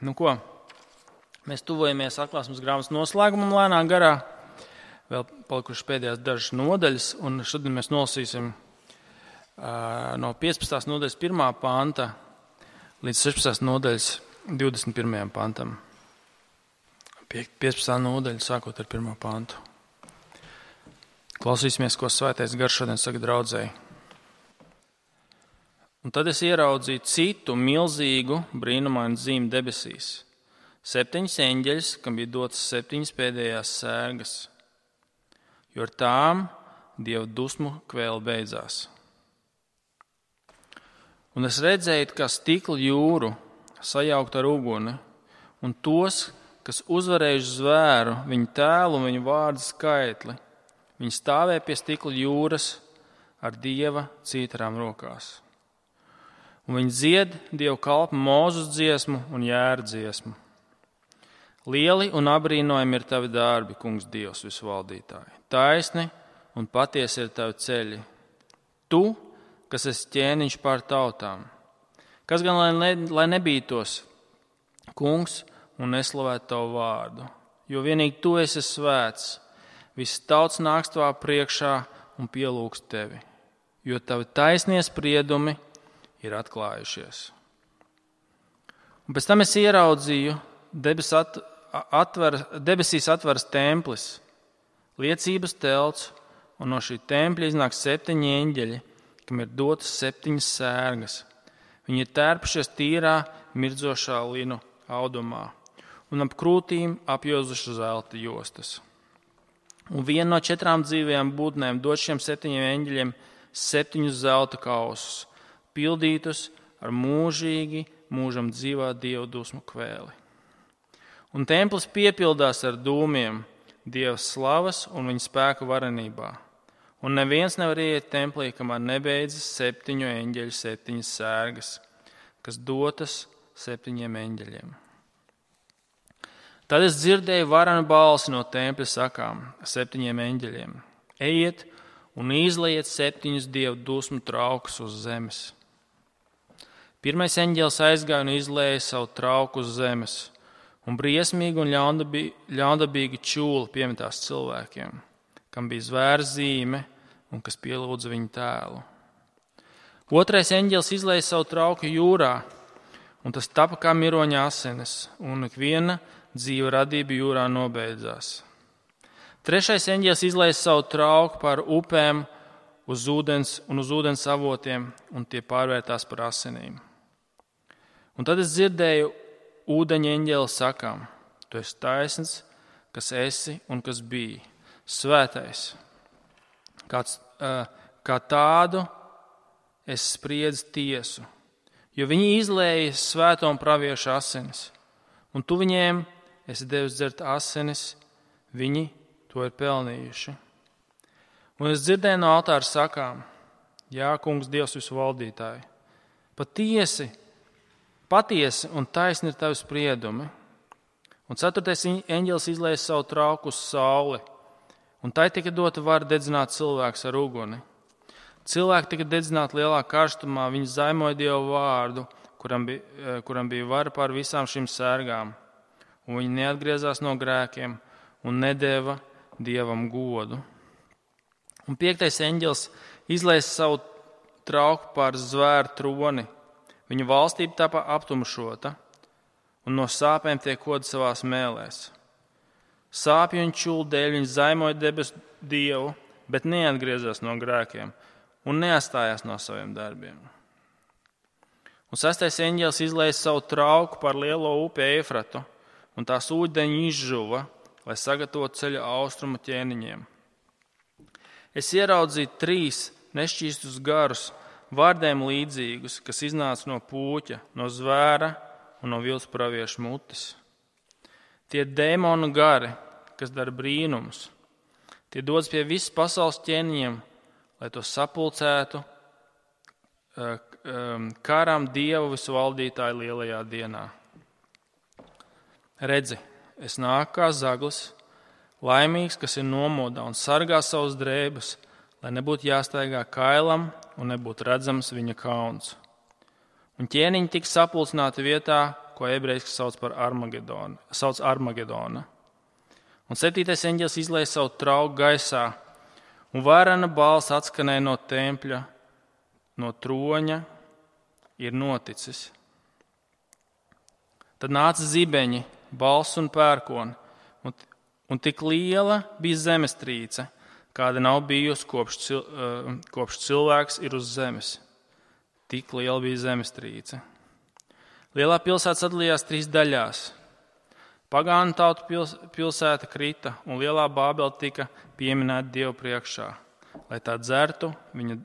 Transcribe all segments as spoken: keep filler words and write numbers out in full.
Nu ko, mēs tuvojamies atklāsmes grāmatas noslēgumam lēnā garā. Vēl palikuši pēdējās dažas nodaļas, un šodien mēs nolasīsim uh, no piecpadsmitās nodaļas pirmā panta līdz sešpadsmitās nodaļas divdesmit pirmajam pantam. piecpadsmitā nodaļa sākot ar pirmo pantu. Klausīsimies, ko Svētais Gars šodien saka draudzēji. Un tad es ieraudzīju citu milzīgu brīnumainu zīmi debesīs. Septiņas eņģeļus, kam bija dotas septiņas pēdējās sērgas, jo ar tām Dieva dusmu kvēle beidzās. Un es redzēju, kā stikla jūru sajaukt ar uguni, un tos, kas uzvarējuši zvēru, viņu tēlu un viņu vārdu skaitli, viņi stāvēja pie stikla jūras ar Dieva cītarām rokās. Un viņi dzied Dievu kalpu Mūzes dziesmu un Jēra dziesmu. Lieli un abrīnojami ir tavi darbi, kungs Dievs visvaldītāji. Taisni un patiesi ir tavi ceļi. Tu, kas esi ķēniņš pār tautām. Kas gan lai, ne, lai nebītos, kungs, un neslavētu tavu vārdu. Jo vienīgi tu esi svēts. Viss tauts nāks tavā priekšā un pielūgs tevi. Jo tavi taisnie spriedumi ir atklājušies. Un pēc tam es ieraudzīju, debes at, atver, debesīs atveras templis, liecības telts, un no šī tempļa iznāk septiņi eņģeļi, kam ir dotas septiņas sērgas. Viņi ir tērpušies tīrā, mirdzošā linu audumā, un ap krūtīm apjozuši zelta jostas. Un viena no četrām dzīvajām būtnēm dod šiem septiņiem eņģeļiem septiņus zelta kausus, pildītus ar mūžīgi, mūžam dzīvā Dieva dusmu kvēli. Un templis piepildās ar dūmiem Dieva slavas un viņa spēka varenībā. Un neviens nevar iet templī, kamēr nebeidzas septiņu eņģeļu septiņas sērgas, kas dotas septiņiem eņģeļiem. Tad es dzirdēju varenu balsi no tempļa sakām septiņiem eņģeļiem. Ejiet un izlejiet septiņus Dieva dusmu traukus uz zemes. Pirmais eņģelis aizgāja un izlēja savu trauku uz zemes, un briesmīgi un ļaundabīgi čūla piemetās cilvēkiem, kam bija zvēra zīme un kas pielūdza viņu tēlu. Otrais eņģelis izlēja savu trauku jūrā, un tas tapa kā miroņa asinis, un ikviena dzīva radība jūrā nobeidzās. Trešais eņģelis izlēja savu trauku pār upēm uz ūdens un uz ūdens avotiem, un tie pārvērtās par asinīm. Un tad es dzirdēju ūdeņa eņģeli sakām, tu esi taisns, kas esi un kas bija, svētais. Kāds, kā tādu es spriedzu tiesu, jo viņi izlēja svēto un praviešu asinis, un tu viņiem esi devis dzert asinis, viņi to ir pelnījuši. Un es dzirdēju no altāra sakām, jā, kungs Dievs visvaldītāji, patiesi, Patiesi un taisni ir tavi spriedumi. Un ceturtais eņģelis izlēja savu trauku uz sauli, un tai tika dota vara dedzināt cilvēks ar uguni. Cilvēki tika dedzināti lielā karstumā, viņi zaimoja Dievu vārdu, kuram bija, kuram bija vara pār visām šīm sērgām. Un viņi neatgriezās no grēkiem un nedeva Dievam godu. Un piektais eņģelis izlēja savu trauku pār zvēru troni. Viņa valstība tapa aptumšota, un no sāpēm tiek kodi savās mēlēs. Sāpju un čūlu dēļ viņi zaimoja debesu Dievu, bet neatgriezās no grēkiem un neatstājās no saviem darbiem. Un sestais eņģelis izlēja savu trauku par lielo upi Eifratu, un tās ūdeņi izžuva, lai sagatavotu ceļu austrumu ķēniņiem. Es ieraudzīju trīs nešķīstus garus, vārdiem līdzīgus, kas iznāca no pūķa, no zvēra un no vilts praviešu mutes. Tie dēmonu gari, kas dara brīnumus. Tie dodas pie visas pasaules ķēniņiem, lai to sapulcētu karām Dievu visvaldītāju lielajā dienā. Redzi, es nāku kā zaglis, laimīgs, kas ir nomodā un sargā savus drēbes, lai nebūtu jāstaigā kailam un nebūtu redzams viņa kauns. Un ķēniņi tika sapulcināti vietā, ko ebrejiski sauc par Armagedonu, sauc Armagedona. Un septītais eņģelis izlēja savu trauku gaisā, un varena balss atskanēja no tempļa, no troņa, ir noticis. Tad nāca zibeņi, balss un pērkoni, un, un tik liela bija zemestrīce, kāda nav bijusi kopš, cil, kopš cilvēks ir uz zemes. Tik liela bija zemestrīce. Lielā pilsēta sadalījās trīs daļās. Pagānu tautu pils, pilsēta krita, un lielā Bābele tika pieminēta Dievu priekšā, lai tā dzertu viņa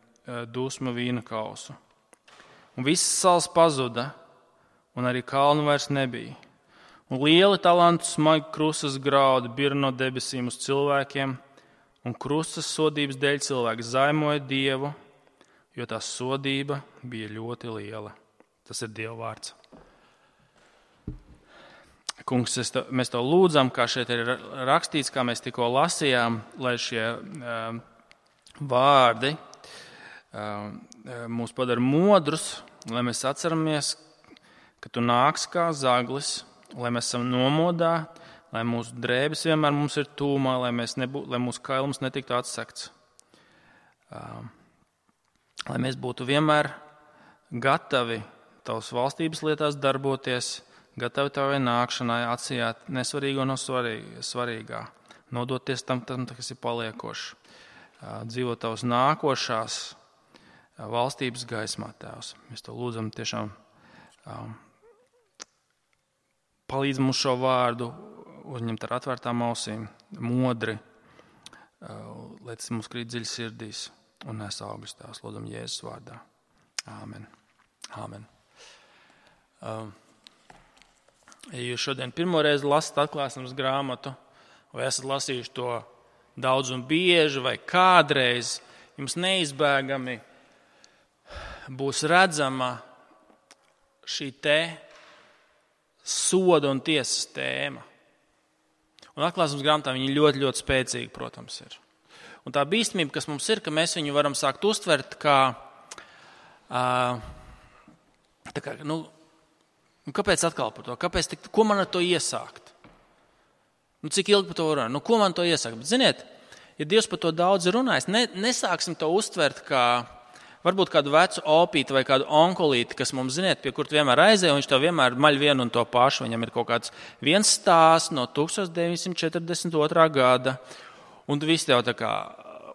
dusmu vīna kausu. Un visas salas pazuda, un arī kalnu vairs nebija. Un lieli talantu smagi krustas graudi bir no debesīm uz cilvēkiem, un krustas sodības dēļ cilvēki zaimoja Dievu, jo tā sodība bija ļoti liela. Tas ir Dieva vārds. Kungs, to, mēs to lūdzam, kā šeit ir rakstīts, kā mēs tikko lasījām, lai šie uh, vārdi uh, mūs padara modrus, lai mēs atceramies, ka tu nāks kā zaglis, lai mēs esam nomodā, lai mūsu drēbes vienmēr mums ir tūmā, lai, mēs nebū, lai mūsu kailums netiktu atsekts. Uh, lai mēs būtu vienmēr gatavi tavas valstības lietās darboties, gatavi tavai nākšanai, atsijāt nesvarīgo no svarīgā, nodoties tam, tam kas ir paliekošs, dzīvot tavas nākošās valstības gaismā, Tēvs. Mēs to lūdzam tiešām um, palīdz mums šo vārdu uzņemt ar atvērtām ausīm, modri, uh, lai tas mums krīt dziļi sirdīs un nes augus, Tēvs. Lūdzam Jēzus vārdā. Āmen. Āmen. Um, Ja jūs šodien pirmoreiz lasat atklāsmes grāmatu, vai esat lasījuši to daudz un bieži, vai kādreiz, jums neizbēgami būs redzama šī te soda un tiesas tēma. Un atklāsmes grāmatā viņa ļoti, ļoti spēcīga, protams, ir. Un tā bīstamība, kas mums ir, ka mēs viņu varam sākt uztvert kā, tā kā, nu, Un kāpēc atkal par to? Kāpēc tik, ko man ar to iesākt? Nu, cik ilgi par to runā? Nu, ko man to iesākt? Bet, ziniet, ja Dievs par to daudz ir runājis, ne, nesāksim to uztvert kā varbūt kādu vecu opīti vai kādu onkolīti, kas mums, ziniet, pie kur tu vienmēr aizēja, un viņš tev vienmēr maļ vienu un to pašu. Viņam ir kaut kāds viens stāsts no tukstovs deviņsimt četrdesmit otrā gada, un tu visi tev tā kā...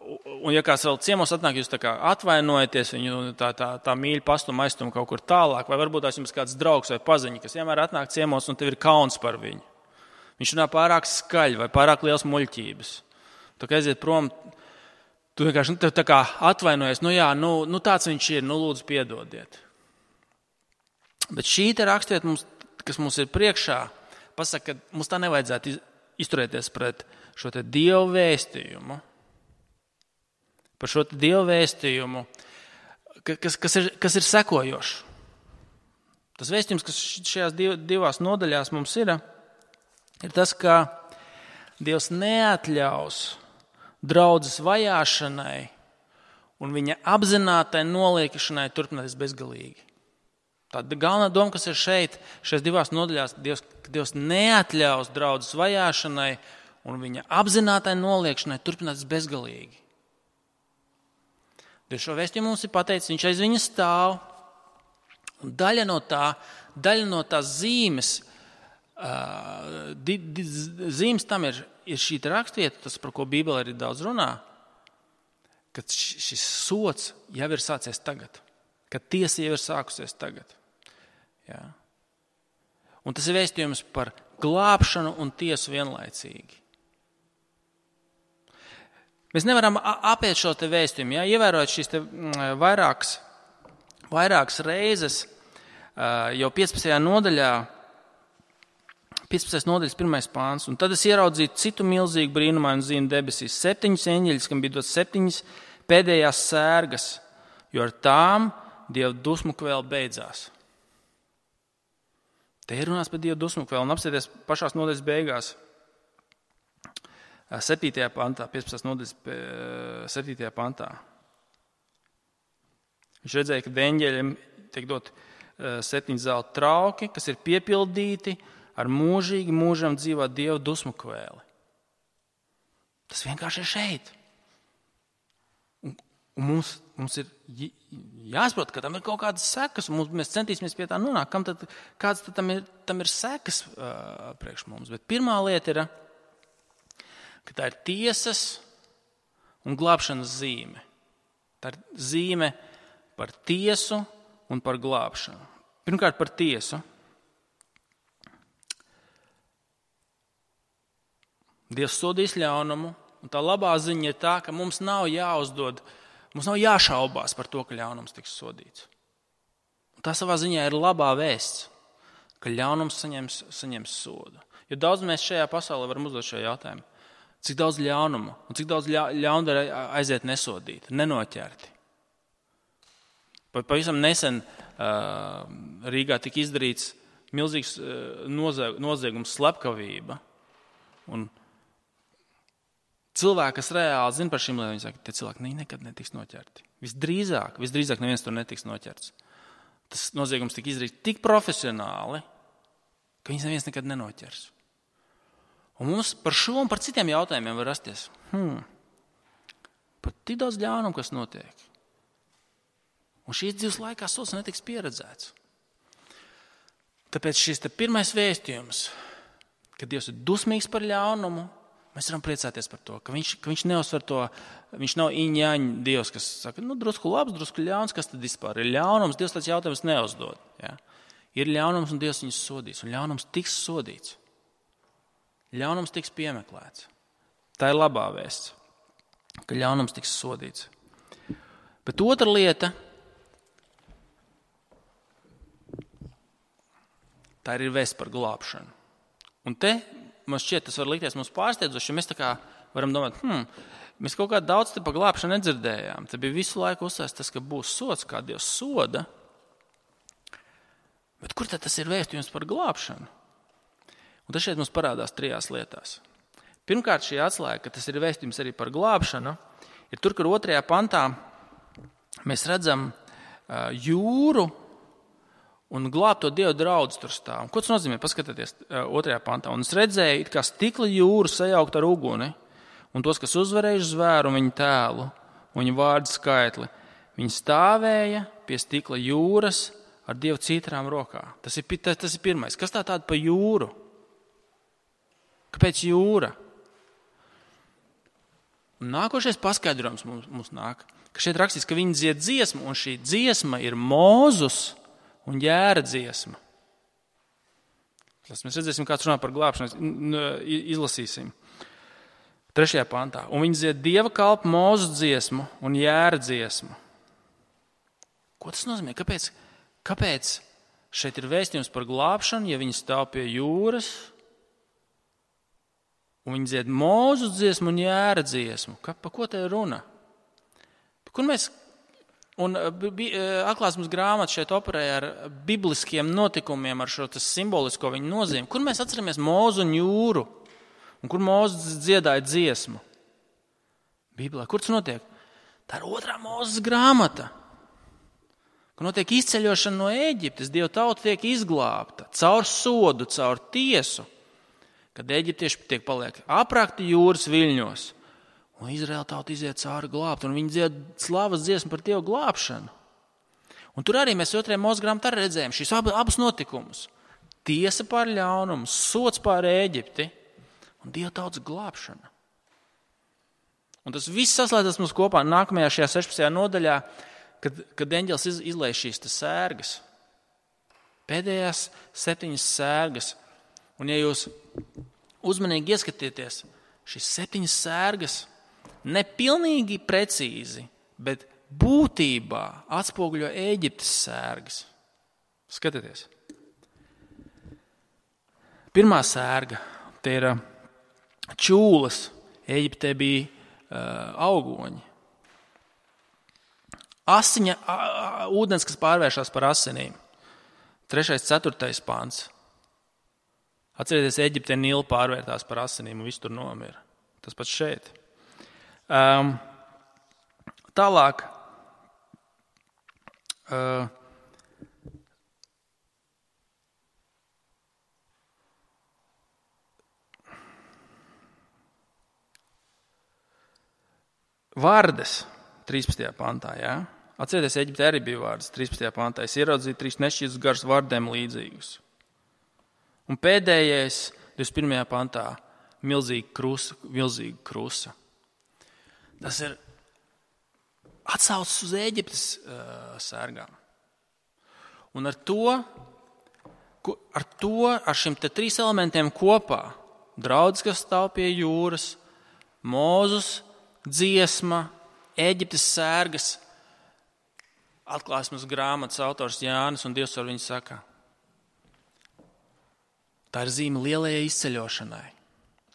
Un, ja kāds vēl ciemos atnāk, jūs tā kā atvainojaties, viņu tā, tā, tā mīļi pastum aiztum kaut kur tālāk, vai varbūt tās jums kāds draugs vai paziņa, kas vienmēr atnāk ciemos un tev ir kauns par viņu. Viņš runā pārāk skaļi vai pārāk liels muļķības. Tā kā aiziet prom, tu vienkārši nu, tev tā kā atvainojies, nu jā, nu, nu tāds viņš ir, nu lūdzu piedodiet. Bet šī te rakstiet, mums, kas mums ir priekšā, pasaka, ka mums tā nevajadzētu izturēties pret šo te Dievu vēstījumu. Par šo Dievu vēstījumu, kas, kas, ir, kas ir sekojošs. Tas vēstījums, kas šajās divās nodaļās mums ir, ir tas, ka Dievs neatļaus draudzes vajāšanai un viņa apzinātai noliekšanai turpināties bezgalīgi. Tāda galvenā doma, kas ir šeit, šajās divās nodaļās, Dievs, Dievs neatļaus draudzes vajāšanai un viņa apzinātai noliekšanai turpināties bezgalīgi. Dievs šo vēstījumu mums ir pateicis, viņš aiz viņa stāv. Un daļa no tā, daļa no tās zīmes, uh, di, di, zīmes tam ir, ir šī rakstvieta, tas, par ko Bībele arī daudz runā, ka šis sods jau ir sācies tagad, ka tiesa jau ir sākusies tagad. Jā. Un tas ir vēstījums par glābšanu un tiesu vienlaicīgi. Mēs nevaram apiet šo te vēstījumu, ja? Ievērojot šīs te vairākas, vairākas reizes, jau piecpadsmitajā nodaļā, piecpadsmitajā nodaļas pirmais pāns, un tad es ieraudzīju citu milzīgu brīnumainu zīmi debesīs, septiņus eņģeļus, kam bija dots septiņas pēdējās sērgas, jo ar tām Dieva dusmu kvēle beidzās. Te ir runās par Dieva dusmu kvēli, un apsieties pašās nodaļas beigās. septītajā pantā, piecpadsmitās nodaļas septītajā pantā. Viņš redzēja, ka eņģeļiem tiek dot septiņi zelta trauki, kas ir piepildīti ar mūžīgi mūžam dzīvā Dieva dusmu kvēli. Tas vienkārši ir šeit. Un, un mums, mums ir jāsaprot, ka tam ir kaut kādas sekas, un mēs centīsimies pie tā nonākt. Kam tad, kāds tad tam ir, tam ir sekas uh, priekš mums? Bet pirmā lieta ir, ka tā ir tiesas un glābšanas zīme. Tā ir zīme par tiesu un par glābšanu. Pirmkārt par tiesu. Dievs sodīs ļaunumu, un tā labā ziņa ir tā, ka mums nav jāuzdod, mums nav jāšaubās par to, ka ļaunums tiks sodīts. Un tā savā ziņā ir labā vēsts, ka ļaunums saņems, saņems sodu. Jo daudz mēs šajā pasaulē varam uzdot šo jautājumu. Cik daudz ļaunumu un cik daudz ļaundara aiziet nesodīti, nenoķerti. Pavisam nesen uh, Rīgā tika izdarīts milzīgs uh, noziegums slepkavība. Un cilvēki, kas reāli zina par šīm lietām, viņi saka, ka tie cilvēki nekad netiks noķerti. Visdrīzāk, visdrīzāk neviens tur netiks noķerts. Tas noziegums tika izdarīts tik profesionāli, ka viņus neviens nekad nenoķers. Un mums par šo un par citiem jautājumiem var rasties. Hmm, par tik daudz ļaunumu, kas notiek. Un šīs dzīves laikā sods netiks pieredzēts. Tāpēc šis te pirmais vēstījums, ka Dievs ir dusmīgs par ļaunumu, mēs varam priecāties par to, ka viņš, ka viņš neuzsver to, viņš nav iņaņ Dievs, kas saka, nu, drusku labs, drusku ļauns, kas tad vispār ir ļaunums, Dievs tāds jautājums neuzdod. Ja? Ir ļaunums un Dievs viņus sodīs, un ļaunums tiks sodīts. Ļaunums tiks piemeklēts. Tā ir labā vēsts, ka ļaunums tiks sodīts. Bet otra lieta, tā ir vēsts par glābšanu. Un te, man šķiet, tas var likties mums pārsteidzoši, ja mēs tā kā varam domāt, hmm, mēs kaut kā daudz te par glābšanu nedzirdējām. Te bija visu laiku uzsvērts tas, ka būs sods, kā Dievs soda. Bet kur tad tas ir vēstījums par glābšanu? Un tas šeit mums parādās trijās lietās. Pirmkārt, šī atslēga, ka tas ir vēstījums arī par glābšanu, ir tur, kur otrajā pantā mēs redzam uh, jūru un glābto Dievu draudz tur stāv. Ko tas nozīmē? Paskatieties uh, otrajā pantā. Un es redzēju, it kā stikla jūru sajaukt ar uguni, un tos, kas uzvarējuši zvēru un viņu tēlu, un viņu vārdu skaitli, viņi stāvēja pie stikla jūras ar Dievu cītrām rokā. Tas ir, tas, tas ir pirmais. Kas tā tāda pa jūru? Kāpēc jūra? Un nākošais paskaidrojums mums, mums nāk, ka šeit rakstīts, ka viņi dzied dziesmu, un šī dziesma ir Mūzus un Jēra dziesma. Tas mēs redzēsim, kāds runā par glābšanu, izlasīsim. Trešajā pantā. Un viņi dzied Dieva kalpu Mūzus dziesmu un Jēra dziesmu. Ko tas nozīmē? Kāpēc, kāpēc šeit ir vēstījums par glābšanu, ja viņi stāv pie jūras? Un viņi dzied Mūzus dziesmu un Jēra dziesmu. Ka, pa ko te ir runa? Kur mēs, un atklāsmes grāmata šeit operēja ar bibliskiem notikumiem, ar šo simbolisko viņu nozīmi. Kur mēs atceramies Mūzu un jūru? Un kur Mūzes dziedāja dziesmu? Bībelē. Kur tas notiek? Tā ir otrā Mūzes grāmata. Kur notiek izceļošana no Ēģiptes. Dieva tauta tiek izglābta caur sodu, caur tiesu. Kad eģiptieši tiek paliek aprakti jūras viļņos, un Izraēla tauta iziet cauri glābt, un viņi dzied slavas dziesmu par Dievu glābšanu. Un tur arī mēs otrajā Mūzes grāmatā redzējām šīs abas notikumus. Tiesa pār ļaunumu, sods pār Ēģipti un Dieva tautas glābšana. Un tas viss saslēdzas mums kopā nākamajā šajā sešpadsmitajā nodaļā, kad, kad eņģelis iz, izlaiž šīs sērgas. Pēdējās septiņas sērgas. Un ja jūs uzmanīgi ieskatieties, šīs septiņas sērgas nepilnīgi precīzi, bet būtībā atspoguļo Ēģiptes sērgas. Skatieties. Pirmā sērga, te ir čūlas. Ēģiptē bija uh, augoņi. Asiņa, a, a, ūdens, kas pārvēršas par asinīm. Trešais, ceturtais pāns. Atcerieties, Eģiptē Nīla pārvērtās par asinīm un viss tur nomira. Tas pats šeit. Um, tālāk. Uh, Vārdes trīspadsmitajā pantā, jā. Atcerieties, Eģiptē arī bija vārdas trīspadsmitajā pantā. Es ieraudzīju trīs nešķītus garus vārdiem līdzīgus. Un pēdējais, divdesmit pirmajā pantā, milzīga krusa, milzīga krusa. Tas ir atsaucas uz Eģiptes uh, sērgām. Un ar to, ar to, ar šiem te trīs elementiem kopā, draudz, kas stāv pie jūras, Mūzus, dziesma, Eģiptes sērgas, atklāsmes grāmatas autors Jānis un Dievs ar viņu saka. Tā ir zīme lielajai izceļošanai.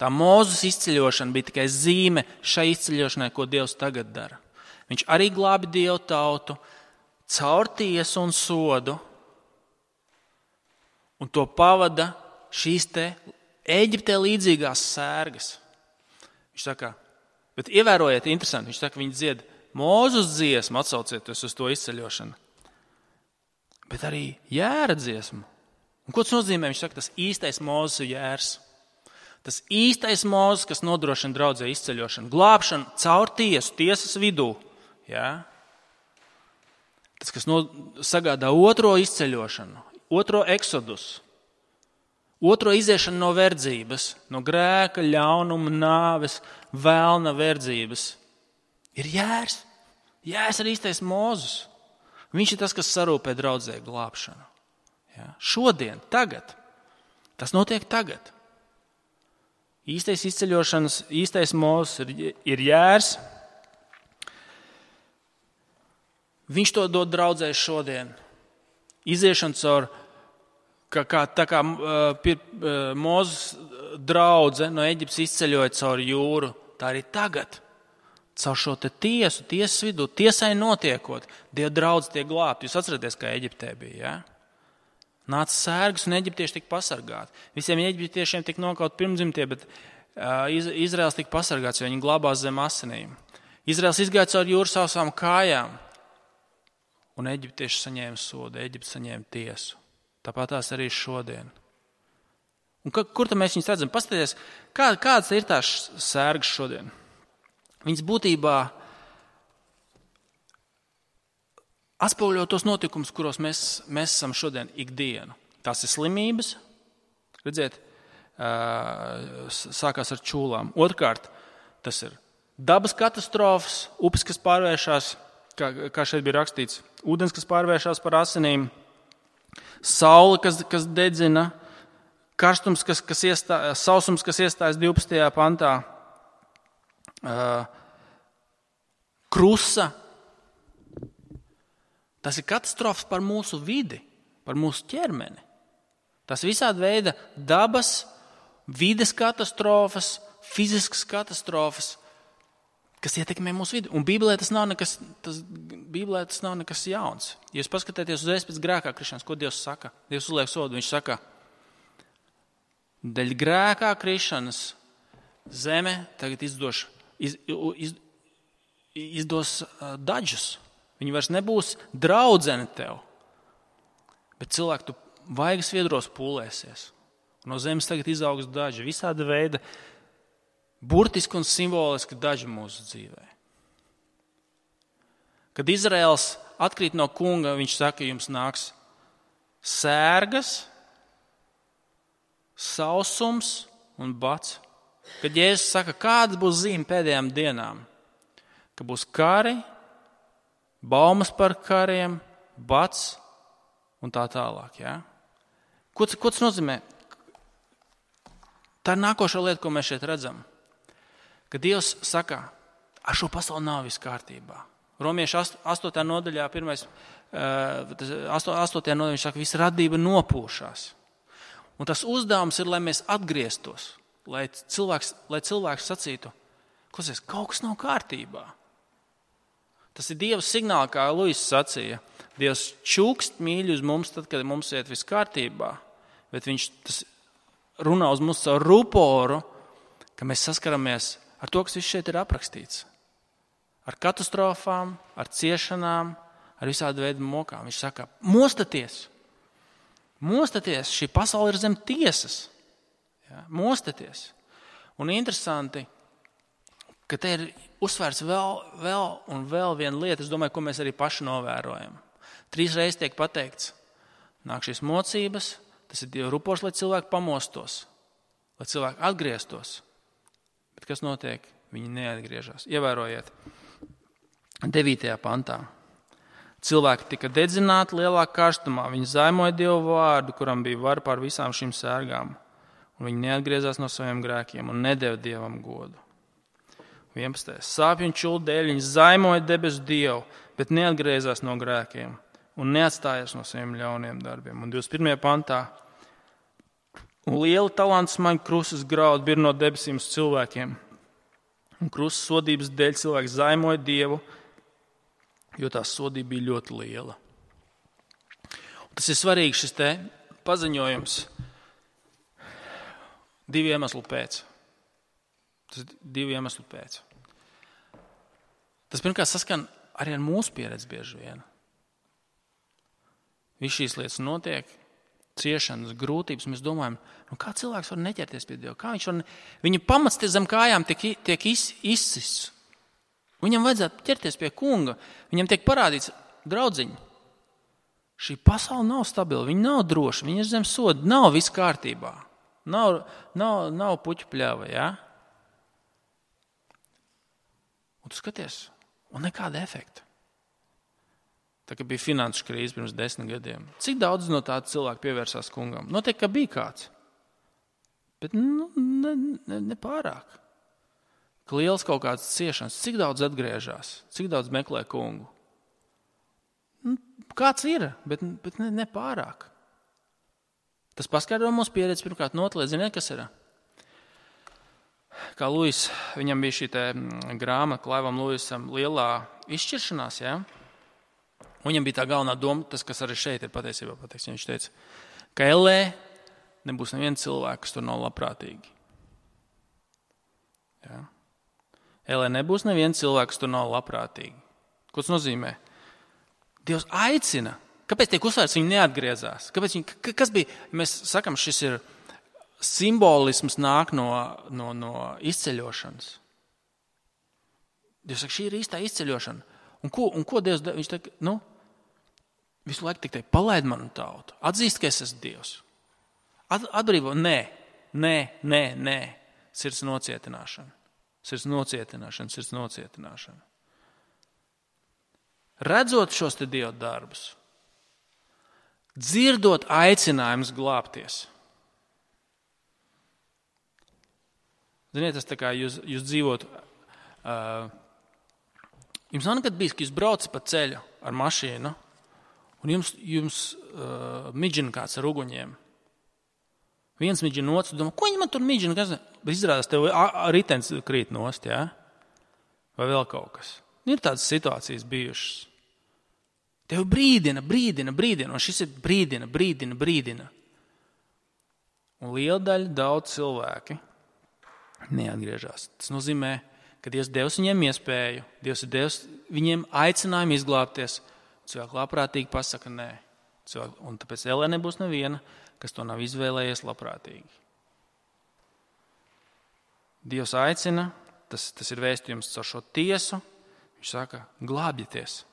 Tā Mūzus izceļošana bija tikai zīme šai izceļošanai, ko Dievs tagad dara. Viņš arī glābi Dievu tautu caur tiesu un sodu, un to pavada šīs te Eģiptē līdzīgās sērgas. Viņš saka, bet ievērojiet, interesanti, viņš saka, viņi dzied Mūzus dziesmu, atsaucieties uz to izceļošanu, bet arī jēra dziesmu. Un ko tas nozīmē? Viņš saka, tas īstais Mūzus ir jērs. Tas īstais Mūzus, kas nodrošina draudzē izceļošanu, glābšanu caur tiesu, tiesas vidū. Ja? Tas, kas no, sagādā otro izceļošanu, otro eksodus, otro iziešanu no verdzības, no grēka, ļaunuma, nāves, vēlna verdzības, ir jērs. Jērs ir īstais Mūzus. Viņš ir tas, kas sarūpē draudzē glābšanu. Ja? Šodien, tagad. Tas notiek tagad. Īstais izceļošanas, īstais Mūzus ir, ir jērs. Viņš to dod draudzē šodien. Iziešana caur, kā, kā, tā kā uh, Mūzus draudze no Eģiptes izceļoja caur jūru, tā arī tagad. Caur šo te tiesu, tiesas vidū, tiesai notiekot, Dieva draudze tiek glābta. Jūs atceraties, kā Eģiptē bija, ja? Nāca sērgas un eģiptieši tika pasargāti. Visiem eģiptiešiem tika nokaut pirmdzimtie, bet uh, Izraels tika pasargāts, jo viņi glābās zem asinīm. Izraels izgāja caur jūru sausām kājām, un eģiptieši saņēma sodu, Eģipte saņēma tiesu. Tāpat tās arī šodien. Un ka, kur tad mēs viņus redzam? Paskatieties, kā, kādas ir tās sērgas šodien? Viņas būtībā atspoguļo tos notikumus, kuros mēs, mēs esam šodien ikdienu. Tās ir slimības, redziet, sākās ar čūlām. Otrkārt, tas ir dabas katastrofas, upes, kas pārvēršās, kā, kā šeit bija rakstīts, ūdens, kas pārvēršās par asinīm, saule, kas, kas dedzina, karstums, kas, kas iestā, sausums, kas iestājas divpadsmitajā pantā, Uh, krusa. Tas ir katastrofas par mūsu vidi, par mūsu ķermeni. Tas visādi veida dabas, vides katastrofas, fiziskas katastrofas, kas ietekmē mūsu vidi. Un Bībelē tas nav nekas, tas, Bībelē tas nav nekas jauns. Ja jūs paskatāties uzreiz pēc grēkā krišanas, ko Dievs saka? Dievs uzliek sodu, viņš saka, dēļ grēkā krišanas zeme tagad izdoš Iz, iz, izdos daļus. Viņi vairs nebūs draudzene tev. Bet cilvēki, tu vaigas viedros pūlēsies. No zemes tagad izaugs daži. Visāda veida burtiski un simboliski daži mūsu dzīvē. Kad Izraels atkrīt no kunga, viņš saka, jums nāks sērgas, sausums un bats. Kad Jēzus saka, kādas būs zīme pēdējām dienām, ka būs kari, baumas par kariem, bats un tā tālāk. Ja? Ko, ko tas nozīmē? Tā ir nākošā lieta, ko mēs šeit redzam. Kad Dievs saka, ar šo pasauli nav viss kārtībā. Romiešu astotajā nodaļā, pirmais, astotajā nodaļā viņš saka, visa radība nopūšās. Un tas uzdevums ir, lai mēs atgrieztos. Lai cilvēks, lai cilvēks sacītu, klausies, kaut kas nav kārtībā. Tas ir Dieva signāls, kā Luis sacīja. Dievs čukst mīļi uz mums, tad, kad mums iet viss kārtībā, bet viņš tas runā uz mums caur ruporu, ka mēs saskaramies ar to, kas viss šeit ir aprakstīts. Ar katastrofām, ar ciešanām, ar visādu veidu mokām. Viņš saka, mostaties, mostaties, šī pasaule ir zem tiesas. Ja, mostaties. Un interesanti, ka te ir uzsvērts vēl, vēl un vēl viena lieta, es domāju, ko mēs arī paši novērojam. Trīs reizes tiek pateikts, nāk šīs mocības, tas ir Dieva rupors, lai cilvēki pamostos, lai cilvēki atgrieztos. Bet kas notiek? Viņi neatgriežas. Ievērojiet, devītajā pantā. Cilvēki tika dedzināti lielā karstumā, viņi zaimoja Dievu vārdu, kuram bija vara pār visām šīm sērgām. Un viņi neatgriezās no saviem grēkiem un nedeva Dievam godu. vienpadsmitais. Sāpju un čulu dēļ viņi zaimoja debesu Dievu, bet neatgriezās no grēkiem un neatstājās no saviem ļauniem darbiem. Un divdesmit pirmajā pantā. Un liela talantu smaņa krustas graudu bir no debesīm uz cilvēkiem. Un krustas sodības dēļ cilvēki zaimoja Dievu, jo tā sodība bija ļoti liela. Un tas ir svarīgi šis te paziņojums divu iemeslu pēc. Tas ir divu iemeslu pēc. Tas pirmkārt saskan arī ar mūsu pieredzi bieži vien. Viss šīs lietas notiek, ciešanas, grūtības, mēs domājam, nu kā cilvēks var neķerties pie Dieva? Kā viņš var ne... Viņa pamats zem kājām tiek, tiek iz, izsists. Viņam vajadzētu ķerties pie kunga. Viņam tiek parādīts, draudziņi, šī pasaule nav stabila, viņa nav droša, viņa ir zem soda, nav viss kārtībā. Nav, nav, nav puķu pļava, ja? Un tu skaties, un nekāda efekta. Tā kā bija finanšu krīze pirms desmit gadiem. Cik daudz no tāda cilvēku pievērsās kungam? Notiek, ka bija kāds. Bet nu, ne, ne, ne pārāk. Ka liels kaut kāds ciešanas, cik daudz atgriežas, cik daudz meklē kungu. Nu, kāds ir, bet, bet ne, ne pārāk. Tas paskaidro mūsu pieredzi pirmkārt notlēt, ziniet, kas ir? Kā Luis, viņam bija šī te grāmata, Klaivam Luisam, lielā izšķiršanās, ja? Un viņam bija tā galvenā doma, tas, kas arī šeit ir patiesībā pateiks. Viņš teica, ka Ellē nebūs neviena cilvēka, kas tur nav labprātīgi. Ja? Ellē nebūs neviena cilvēka, kas tur nav labprātīgi. Ko tas nozīmē? Dievs aicina. Kāpēc tiek uzsvērts, viņi neatgriezās? Kāpēc viņi, kas bija? Mēs sakam, šis ir simbolisms nāk no, no, no izceļošanas. Dievs saka, šī ir īstā izceļošana. Un ko, un ko Dievs, viņš teica, nu, visu laiku tik teikt, palaid manu tautu, atzīst, ka es esmu Dievs. At, atbrīvo, nē, nē, nē, nē, sirds nocietināšana, sirds nocietināšana, sirds nocietināšana. Redzot šos te Dieva darbus, dzirdot aicinājumus glābties. Ziniet, tas tā kā jūs, jūs dzīvot, uh, jums nav nekad bijis, ka jūs braucat pa ceļu ar mašīnu, un jums, jums uh, midžina kāds ar uguņiem. Viens midžina otrs, domā, ko viņi man tur midžina? Kas? Bet izrādās, tev ritens krīt nost, jā? Vai vēl kaut kas. Ir tādas situācijas bijušas. Tev brīdina, brīdina, brīdina, un šis ir brīdina, brīdina, brīdina. Un liela daļa daudz cilvēki neatgriežas. Tas nozīmē, ka Dievs devis viņiem iespēju, Dievs ir devis viņiem aicinājumu izglābties. Cilvēki labprātīgi pasaka nē. Cilvēki, un tāpēc Ellē nebūs neviena, kas to nav izvēlējies labprātīgi. Dievs aicina, tas, tas ir vēstījums caur šo tiesu. Viņš saka, glābieties.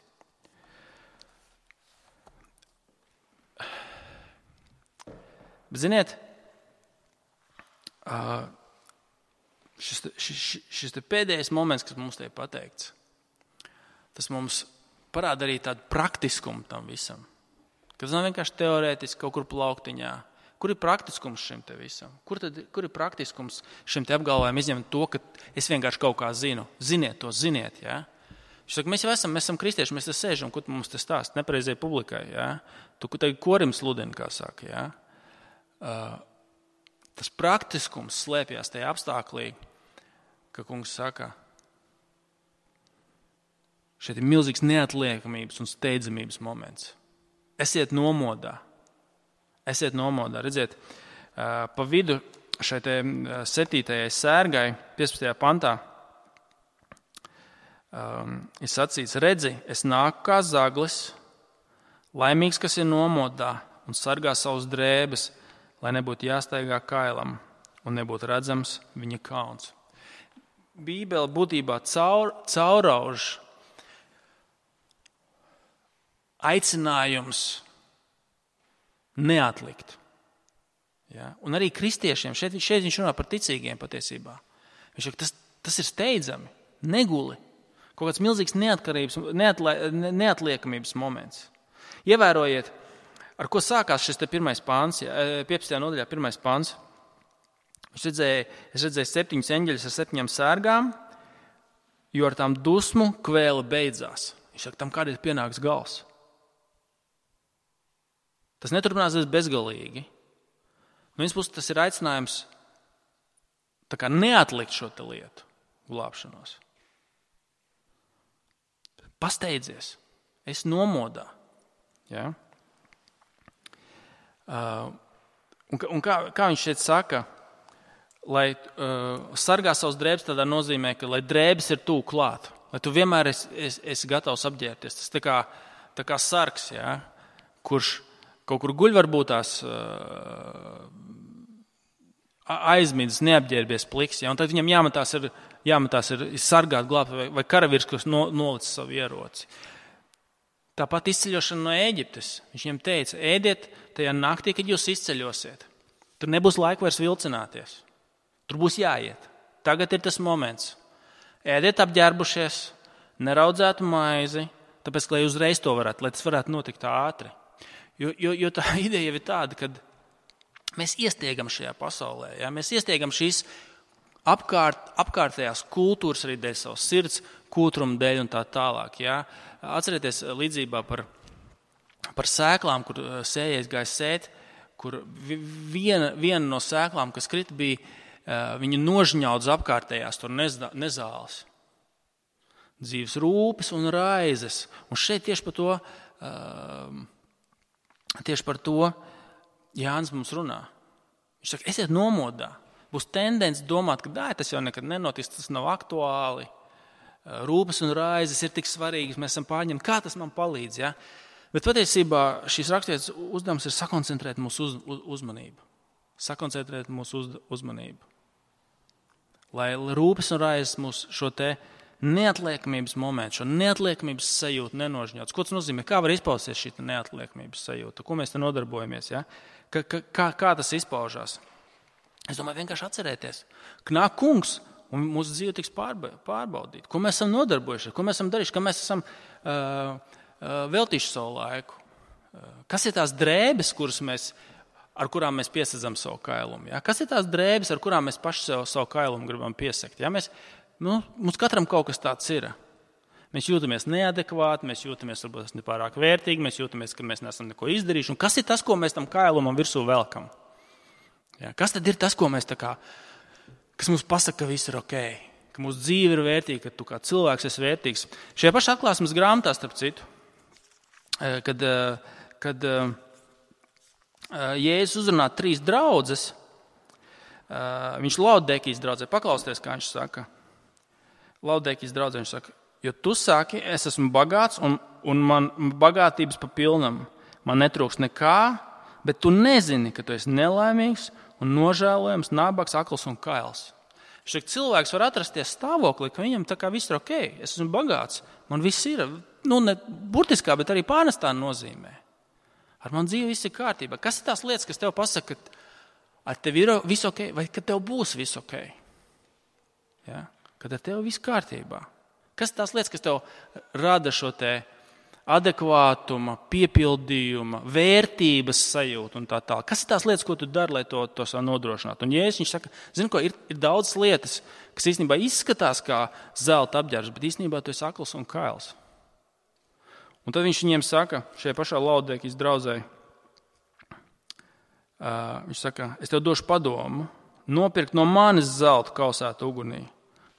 Bet ziniet, šis, šis, šis te pēdējais moments, kas mums te ir pateikts, tas mums parāda arī tādu praktiskumu tam visam. Kas nav vienkārši teorētiski kaut kur plauktiņā. Kur ir praktiskums šim te visam? Kur, tad, kur ir praktiskums šim te apgalvojumam izņemt to, ka es vienkārši kaut kā zinu? Ziniet to, ziniet, jā? Viņš saka, mēs jau esam, mēs esam kristieši, mēs te sēžam, ko tu mums te stāst, nepareizai publikai, jā? Tu tagad korim sludini, kā saka, jā? Uh, tas praktiskums slēpjas tajā apstāklī, ka kungs saka, šeit ir milzīgs neatliekamības un steidzamības moments. Esiet nomodā. Esiet nomodā. Redziet, uh, pa vidu šai te septītajai sērgai, piecpadsmitajā pantā, um, ir sacīts, redzi, es nāku kā zaglis, laimīgs, kas ir nomodā un sargā savus drēbes, lai nebūtu jāstaigā kailam un nebūtu redzams viņa kauns. Bībele būtībā caur, caurauž aicinājums neatlikt. Ja? Un arī kristiešiem, šeit, šeit viņš runā par ticīgiem patiesībā. Viņš saka, tas, tas ir steidzami, neguli. Kaut kāds milzīgs neatkarības, neatla, neatliekamības moments. Ievērojiet, ar ko sākās šis te pirmais pāns, piecpadsmitajā nodaļā pirmais pāns. Es redzēju, es redzēju septiņus eņģeļus ar septiņām sērgām, jo ar tām dusmu kvēle beidzās. Viņš saka, tam kādreiz pienāks gals. Tas neturpināsies bezgalīgi. No vienas puses tas ir aicinājums tā kā neatlikt šo te lietu, glābšanos. Pasteidzies, es nomodā. Ja? Uh, un un kā, kā viņš šeit saka, lai uh, sargā savus drēbes, tādā nozīmē, ka lai drēbes ir tūk klāt, lai tu vienmēr esi, esi, esi gatavs apģērbties. Tas tā kā, tā kā sargs, ja? Kurš kaut kur guļ varbūt tās uh, aizmidzis, neapģērbies pliks, ja? Un tad viņam jāmatās ir, jāmatās ir sargāt, glābt, vai, vai karavīrs, kurš no, nolicis savu ieroci. Tāpat izceļošana no Ēģiptes. Viņš viņam teica, ēdiet tajā naktī, kad jūs izceļosiet. Tur nebūs laika vairs vilcināties. Tur būs jāiet. Tagad ir tas moments. Ēdiet apģērbušies, neraudzētu maizi, tāpēc, lai uzreiz to varētu, lai tas varētu notikt ātri. Jo, jo, jo tā ideja jau ir tāda, ka mēs iestiegam šajā pasaulē. Ja? Mēs iestiegam šīs apkārt, apkārtējās kultūras arī dēļ savas sirds, kūtruma dēļ un tā tālāk. Ja? Atcerieties līdzībā par, par sēklām, kur sējējs gāja sēt, kur viena, viena no sēklām, kas krita, bija viņa nožņaudz apkārtējās tur nezāles. Dzīves rūpes un raizes. Un šeit tieši par to, tieši par to Jānis mums runā. Viņš saka, esiet nomodā. Būs tendence domāt, ka dāj, tas jau nekad nenotiks, tas nav aktuāli. Rūpes un raizes ir tik svarīgas, mēs esam pārņemti. Kā tas man palīdz? Ja? Bet patiesībā šīs raksturvietas uzdevums ir sakoncentrēt mūsu uz, uz, uzmanību. Sakoncentrēt mūsu uz, uzmanību. Lai rūpes un raizes mūsu šo te neatliekamības momentu, šo neatliekamības sajūtu nenožņauts. Ko tas nozīmē? Kā var izpausties šī neatliekamības sajūta? Ko mēs te nodarbojamies? Ja? Kā, kā, kā tas izpaužās? Es domāju, vienkārši atcerēties, ka nāk kungs un mūsu dzīve tiks pārbaudīta. Ko mēs esam nodarbojušies, ko mēs esam darījuši, kā mēs esam uh, uh, veltījuši savu laiku. Uh, kas ir tās drēbes, kuras mēs, ar kurām mēs piesadzam savu kailumu? Ja? Kas ir tās drēbes, ar kurām mēs paši savu, savu kailumu gribam piesakt? Ja? Mēs, nu, mums katram kaut kas tāds ir. Mēs jūtamies neadekvāti, mēs jūtamies varbūt nepārāk vērtīgi, mēs jūtamies, ka mēs neesam neko izdarījuši. Un kas ir tas, ko mēs tam kailumam virsū velkam? Ja? Kas tad ir tas, ko mēs tā kā, kas mums pasaka, ka viss ir ok, ka mūsu dzīve ir vērtīga, ka tu kā cilvēks esi vērtīgs. Šajā pašā atklāsmes grāmatā, starp citu, kad, kad Jēzus uzrunā trīs draudzes, viņš Laudekijas draudzē, paklausties, kā viņš saka. Laudekijas draudzē viņš saka, jo tu saki, es esmu bagāts un, un man bagātības pa pilnam, man netrūks nekā, bet tu nezini, ka tu esi nelaimīgs un nožēlojams, nabaks, akls un kails. Šeit cilvēks var atrasties stāvoklī, ka viņam tā kā viss ir ok, es esmu bagāts, man viss ir, nu ne burtiskā, bet arī pārnestā nozīmē. Ar man dzīve viss ir kārtībā. Kas ir tās lietas, kas tev pasaka, ka ar tevi ir viss ok, vai ka tev būs viss ok? Ja? Kad ar tevi viss kārtībā. Kas ir tās lietas, kas tev rada šo te adekvātuma, piepildījuma, vērtības sajūtu un tā tā. Kas ir tās lietas, ko tu dari, lai to, to savu nodrošinātu? Un Jēzus viņš saka, zini ko, ir, ir daudz lietas, kas īstenībā izskatās kā zelta apģērbs, bet īstenībā tu esi akls un kails. Un tad viņš viņiem saka, šajā pašā Laudekijas draudzē, uh, viņš saka, es tev došu padomu, nopirkt no manis zelta kausētu ugunī,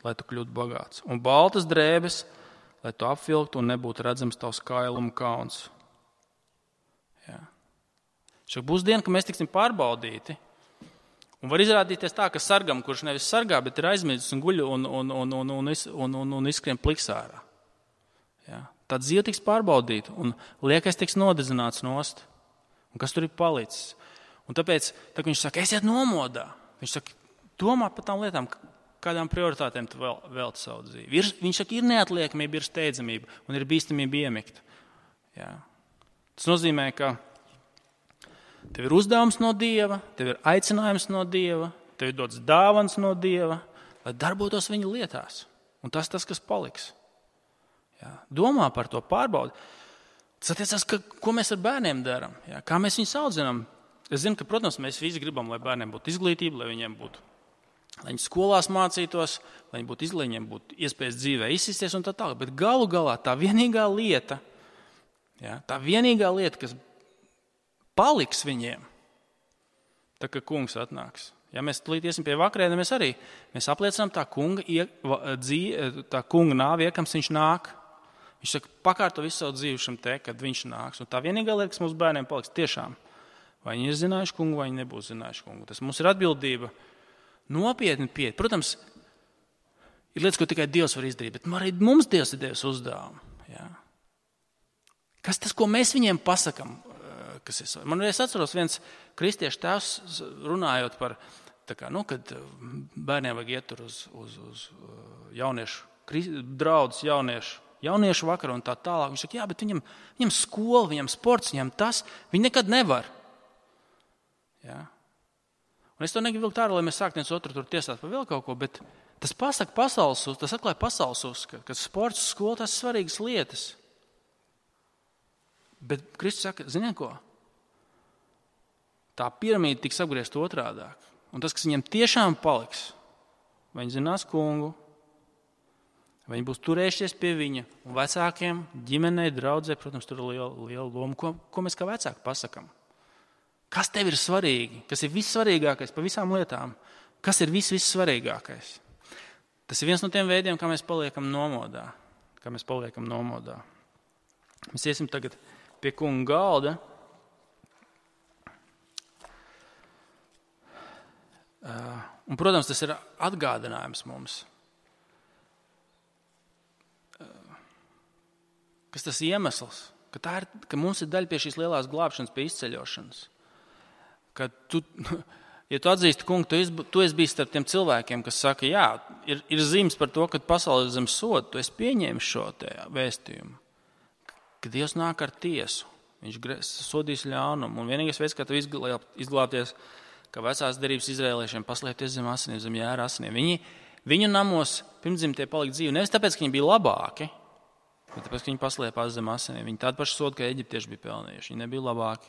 lai tu kļūtu bagāts. Un baltas drēbes, lai tu apvilktu un nebūtu redzams tavs kailuma kauns. Jā. Šeit būs diena, ka mēs tiksim pārbaudīti. Un var izrādīties tā, ka sargam, kurš nevis sargā, bet ir aizmidzis un guļ un, un, un, un, un, un, un, un izskrien pliksārā. Jā. Tad dzīve tiks pārbaudīta un liekais tiks nodedzināts nost. Un kas tur ir palicis? Un tāpēc, tā, viņš saka, esiet nomodā. Viņš saka, domā par tām lietām, kādām prioritātēm tu vēl, velti savu dzīvi. Ir, viņš saka, ir neatliekamība, ir steidzamība un ir bīstamība iemikt. Jā. Tas nozīmē, ka tev ir uzdevums no Dieva, tev ir aicinājums no Dieva, tev ir dots dāvans no Dieva, lai darbotos viņa lietās. Un tas tas, kas paliks. Jā. Domā par to, pārbaudi. Tas attiecās, ka, ko mēs ar bērniem darām, jā. Kā mēs viņus audzinām. Es zinu, ka, protams, mēs visi gribam, lai bērniem būtu izglītība, lai viņiem būtu, lai viņi skolās mācītos, lai viņi būtu izglītīgi, viņiem būtu iespējas dzīvē izsisties un tā tālāk. Bet galu galā tā vienīgā lieta, jā, tā vienīgā lieta, kas paliks viņiem, tā kā kungs atnāks. Ja mēs tulīt iesim pie vakarēna, mēs arī mēs apliecinām tā kunga, dzīve, tā kunga nāvi, iekams viņš nāk. Viņš saka, pakārto visu savu dzīvi šim te, kad viņš nāks. Un tā vienīgā lieta, kas mūsu bērniem paliks, tiešām, vai viņi ir zinājuši kungu, vai viņi nebūs zinājuši kungu. Tas mums ir atbildība nopietni pieiet. Protams, ir lietas, ko tikai Dievs var izdarīt, bet arī mums Dievs ir devis uzdevumu. Ja? Kas tas, ko mēs viņiem pasakam? Kas ir? Man es atceros viens kristiešu tēvs runājot par, tā kā, nu, kad bērniem vajag iet uz, uz, uz jauniešu, draudzes jauniešu, jauniešu vakaru un tā tālāk. Viņš saka, jā, bet viņam, viņam skola, viņam sports, viņam tas, viņi nekad nevar. Jā. Un es to negribu vilkt ārā, lai mēs sāktu viens otru tur tiesāt par vēl kaut ko, bet tas pasaka pasaules, tas atklāja pasaules uzskatu, ka sports, skola, tas ir svarīgas lietas. Bet Kristus saka, ziniet ko? Tā piramīda tiks apgriezt otrādāk. Un tas, kas viņam tiešām paliks, vai viņi zinās kungu, vai viņi būs turējušies pie viņa, un vecākiem, ģimenei, draudzē, protams, tur ir liela, liela loma. Ko, ko mēs kā vecāki pasakam? Kas tev ir svarīgi? Kas ir vissvarīgākais pa visām lietām? Kas ir viss, vissvarīgākais? Tas ir viens no tiem veidiem, kā mēs paliekam nomodā. Kā mēs paliekam nomodā. Mēs iesim tagad pie kunga galda. Un, protams, tas ir atgādinājums mums. Kas tas iemesls? Ka, tā ir, ka mums ir daļa pie šīs lielās glābšanas, pie izceļošanas. Ka tu, ja tu atzīsti, kungu, tu esi, tu esi bijis starp tiem cilvēkiem, kas saka, jā, ir, ir zīmes par to, ka pasaule ir zem soda, tu esi pieņēmis šo te vēstījumu. Ka Dievs nāk ar tiesu, viņš sodīs ļaunumu. Un vienīgais veids, kā tu izglābties, ka vecās derības izrēliešiem paslēpties zem asinīm, zem jēra asinīm. Viņi, viņu namos pirmdzimtie palika dzīvi. Nevis tāpēc, ka viņi bija labāki, bet tāpēc, ka viņi paslēpās zem asinīm. Viņi tādu pašu sodu, kā eģiptieši bija pelnījuši. Viņi nebija labāki,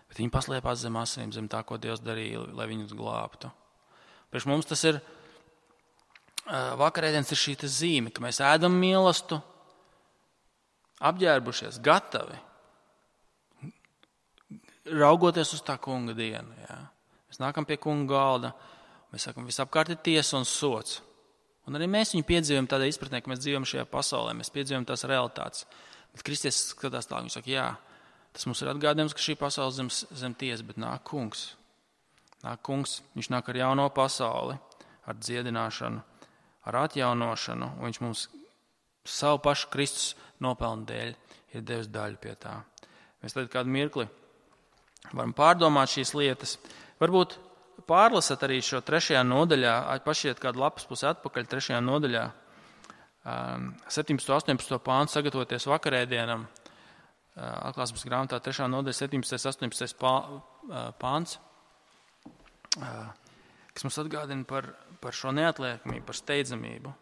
bet viņi paslēpās zem asinīm, zem tā, ko Dievs darīja, lai viņus glābtu. Priekš mums tas ir, vakarēdienas ir šī zīme, ka mēs ēdam mīlestību, apģērbušies, gatavi, raugoties uz tā kunga dienu. Jā. Mēs nākam pie kunga galda, mēs sakam, visapkārt ir tiesa un sots. Un arī mēs viņu piedzīvojam tādā izpratnē, ka mēs dzīvojam šajā pasaulē, mēs piedzīvojam tās realitātes. Bet Kristus skatās tā, viņš saka, jā, tas mums ir atgādījums, ka šī pasaule zem, zem tiesa, bet nāk kungs. Nāk kungs, viņš nāk ar jauno pasauli, ar dziedināšanu, ar atjaunošanu, un viņš mums savu pašu Kristus nopelnu dēļ ir devis daļu pie tā. Mēs tad kādu mirkli varam pārdomāt šīs lietas. Varbūt pārlasat arī šo trešajā nodaļā, pašiet kādu lapas pusi atpakaļ trešajā nodaļā, septiņpadsmito, astoņpadsmito pāntu, sagatavoties vakarēdienam, atklāsmes grāmatā trešā nodaļa, septiņpadsmitais, astoņpadsmitais pāns, kas mums atgādina par, par šo neatliekamību, par steidzamību.